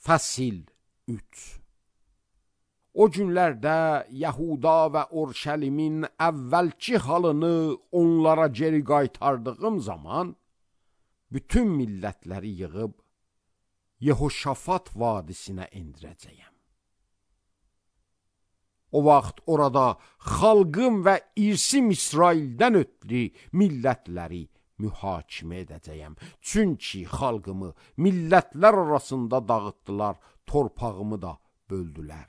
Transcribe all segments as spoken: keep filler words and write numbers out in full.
Fəsil üç. O günlərdə Yahuda və Urşəlimin əvvəlki halını onlara geri qaytardığım zaman, bütün millətləri yığıb Yehoşafat vadisinə endirəcəyəm. O vaxt orada xalqım və irsim İsraildən ötürü millətləri mühakimə edəcəyəm. Çünki xalqımı millətlər arasında dağıtdılar, torpağımı da böldülər.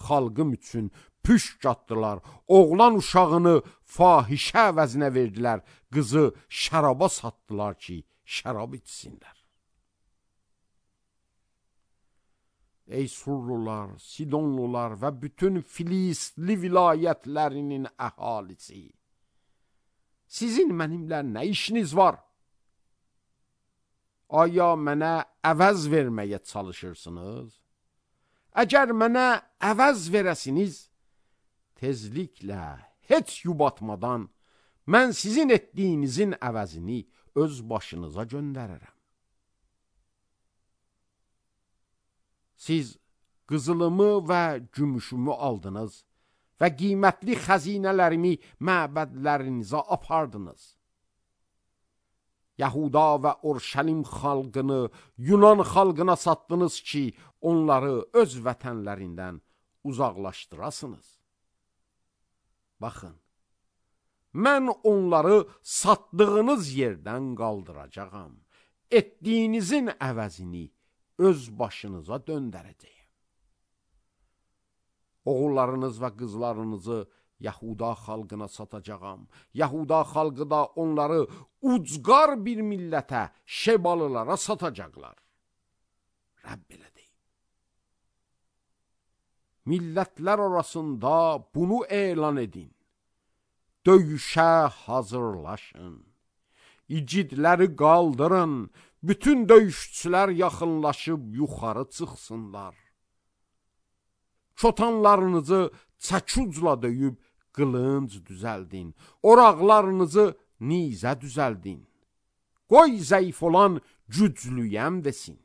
Xalqım üçün püşk atdılar, oğlan uşağını fahişə əvəzinə verdilər, qızı şəraba satdılar ki, şərab içsinlər. Ey Surlular, Sidonlular və bütün Filistli vilayətlərinin əhalisi, sizin mənimlə nə işiniz var? Aya mənə əvəz verməyə çalışırsınız? Əgər mənə əvəz verəsiniz, tezliklə, heç yubatmadan, mən sizin etdiyinizin əvəzini öz başınıza göndərərəm. Siz qızılımı və gümüşümü aldınız və qiymətli xəzinələrimi məbədlərinizə apardınız. Yahuda və Urşəlim xalqını Yunan xalqına satdınız ki, onları öz vətənlərindən uzaqlaşdırasınız. Baxın, mən onları satdığınız yerdən qaldıracağam. Etdiyinizin əvəzini öz başınıza döndərəcəyim. Oğullarınız və qızlarınızı Yahuda xalqına satacağam. Yahuda xalqı da onları ucqar bir millətə, Şebalılara satacaqlar. Rəbb belə deyib. Millətlər arasında bunu elan edin. Döyüşə hazırlaşın. İgidləri qaldırın. Bütün döyüşçülər yaxınlaşıb yuxarı çıxsınlar. Çotanlarınızı çəkucla döyüb qılınc düzəldin. Oraqlarınızı nizə düzəldin. Qoy zəif olan güclüyəm desin.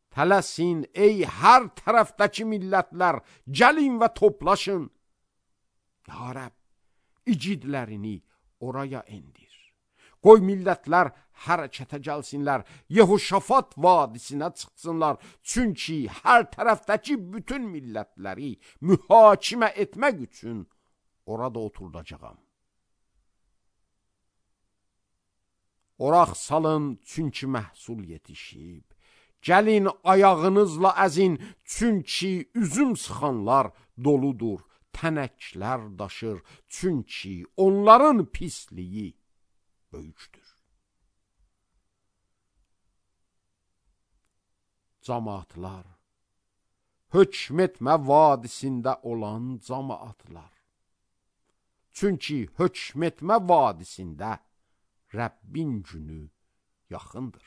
Tələsin ey hər tərəfdəki millətlər, gəlin və toplaşın. Ya Rəbb, igidlərini oraya endir. Qoy millətlər hərəkətə gəlsinlər, Yehoşafat vadisinə çıxsınlar. Çünki hər tərəfdəki bütün millətləri mühakimə etmək üçün orada oturdacağam. Oraq salın, çünki məhsul yetişib. Gəlin ayağınızla əzin, çünki üzüm sıxanlar doludur. Tənəklər daşır, çünki onların pisliyi böyükdür. Camaatlar, hökm etmə vadisində olan camaatlar. Çünki hökm etmə vadisində Rəbbin günü yaxındır.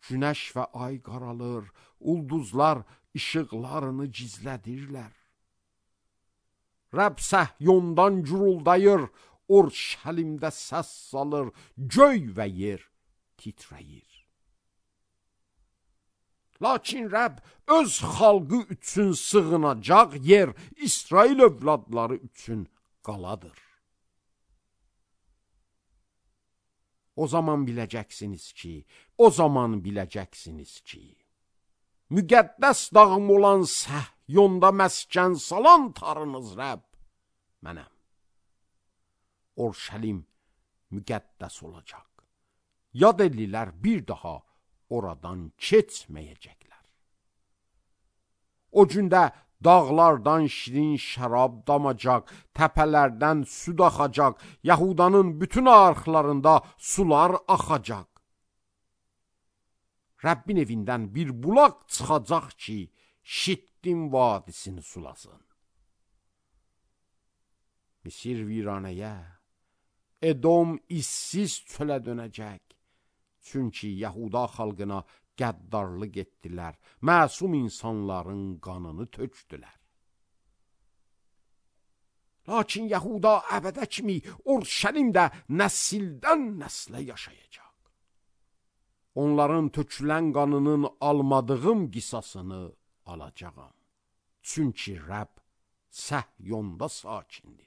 Günəş və ay qaralır, ulduzlar işıqlarını gizlədirlər. Rəbb Səhyondan guruldayır, Urşəlimdə səs salır, göy və yer titrəyir. Lakin Rəbb öz xalqı üçün sığınacaq yer, İsrail övladları üçün qaladır. O zaman biləcəksiniz ki, o zaman biləcəksiniz ki, müqəddəs dağım olan Səhyonda məskən salan tarınız Rəbb mənəm. Urşəlim müqəddəs olacaq. Yad ellilər bir daha oradan keçməyəcəklər. O gündə dağlardan şirin şərab damacaq, təpələrdən süd axacaq, Yahudanın bütün arxlarında sular axacaq. Rəbbin evindən bir bulaq çıxacaq ki, Şittim vadisini sulasın. Misir viranəyə, Edom işsiz çölə dönəcək. Çünki Yahuda xalqına qəddarlıq etdilər, məsum insanların qanını tökdülər. Lakin Yahuda əbədə kimi Urşəlimdə nəsildən nəslə yaşayacaq. onların tökülən qanının almadığım qisasını alacağam. Çünki Rəbb Səhyonda sakindir.